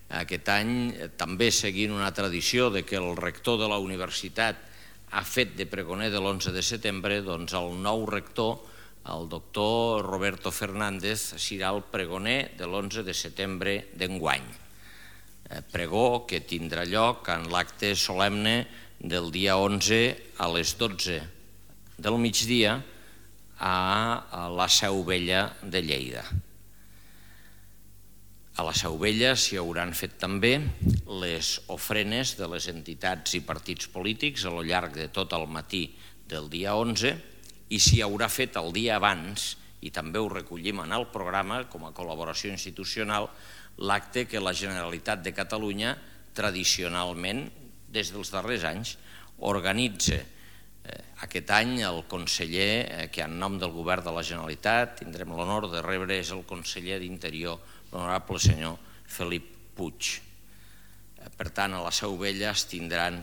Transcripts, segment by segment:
Aquest any, també seguint una tradició de que el rector de la universitat ha fet de pregoner de l'11 de setembre, doncs el nou rector, el doctor Roberto Fernández, serà el pregoner de l'11 de setembre d'enguany. Pregó que tindrà lloc en l'acte solemne del dia 11 a les 12 del migdia a la Seu Vella de Lleida. A la Seu Vella s'hi hauran fet també les ofrenes de les entitats i partits polítics a lo llarg de tot el matí del dia 11 i s'hi haurà fet el dia abans, i també ho recollim en el programa com a col·laboració institucional, l'acte que la Generalitat de Catalunya tradicionalment, des dels darrers anys, organitza. Aquest any el conseller que en nom del govern de la Generalitat tindrem l'honor de rebre és el conseller d'Interior, l'honorable senyor Felip Puig. Per tant, a la Seu Vella es tindran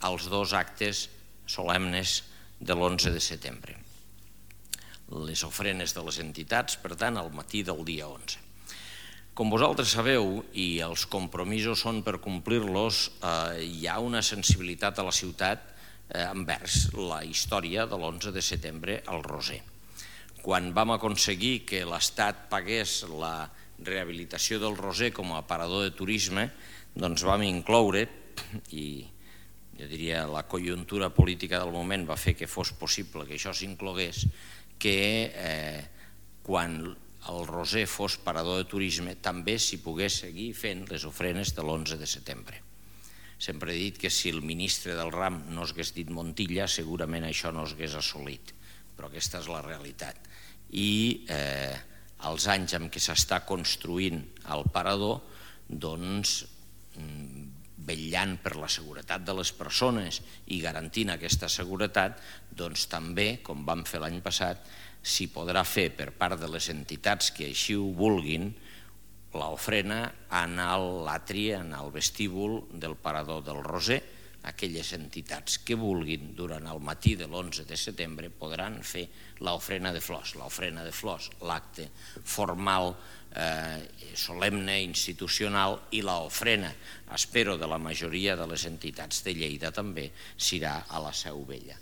els dos actes solemnes de l'11 de setembre. Les ofrenes de les entitats, per tant, al matí del dia 11. Com vosaltres sabeu, i els compromisos són per complir-los, hi ha una sensibilitat a la ciutat envers la història de l'11 de setembre al Roser. Quan vam aconseguir que l'Estat pagués la rehabilitació del Roser com a aparador de turisme, doncs vam incloure, i jo diria la conjuntura política del moment va fer que fos possible que això s'inclogués, que quan el Roser fos parador de turisme també s'hi pogués seguir fent les ofrenes de l'11 de setembre. Sempre he dit que si el ministre del ram no s'hagués dit Montilla, segurament això no s'hagués assolit, però aquesta és la realitat. I els anys en què s'està construint el parador, doncs, vetllant per la seguretat de les persones i garantint aquesta seguretat, doncs també, com vam fer l'any passat, s'hi podrà fer per part de les entitats que així ho vulguin l'ofrena en l'atri, en el vestíbul del parador del Roser. Aquelles entitats que vulguin durant el matí de l'11 de setembre podran fer l'ofrena de flors. L'ofrena de flors, l'acte formal, solemne, institucional, i l'ofrena, espero, de la majoria de les entitats de Lleida també serà a la Seu Vella.